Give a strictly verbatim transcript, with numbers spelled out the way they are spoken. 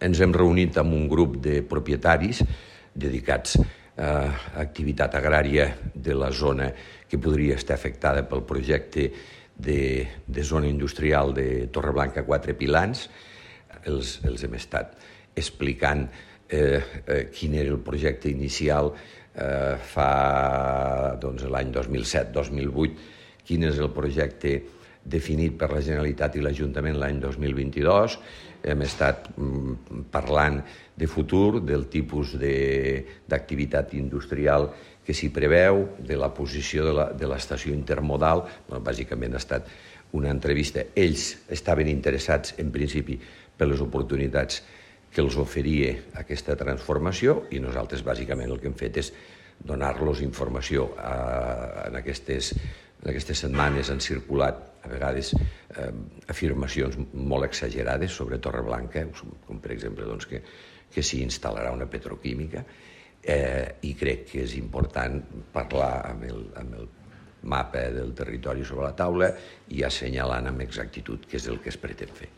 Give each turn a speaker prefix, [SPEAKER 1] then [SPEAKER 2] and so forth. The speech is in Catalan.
[SPEAKER 1] Ens hem reunit amb un grup de propietaris dedicats a activitat agrària de la zona que podria estar afectada pel projecte de, de zona industrial de Torreblanca Quatre Pilans. Els, els hem estat explicant eh, eh, quin era el projecte inicial eh, fa doncs, l'any dos mil set dos mil vuit, quin és el projecte definit per la Generalitat i l'Ajuntament l'any dos mil vint-i-dos. Hem estat parlant de futur, del tipus d'activitat industrial que s'hi preveu, de la posició de l'estació intermodal. Bueno, bàsicament ha estat una entrevista. Ells estaven interessats, en principi, per les oportunitats que els oferia aquesta transformació i nosaltres, bàsicament, el que hem fet és donar-los informació. En aquestes, en aquestes setmanes han circulat a vegades eh, afirmacions molt exagerades sobre Torreblanca, com per exemple doncs, que, que s'hi instal·larà una petroquímica, eh, i crec que és important parlar amb el, amb el mapa del territori sobre la taula i assenyalant amb exactitud què és el que es pretén fer.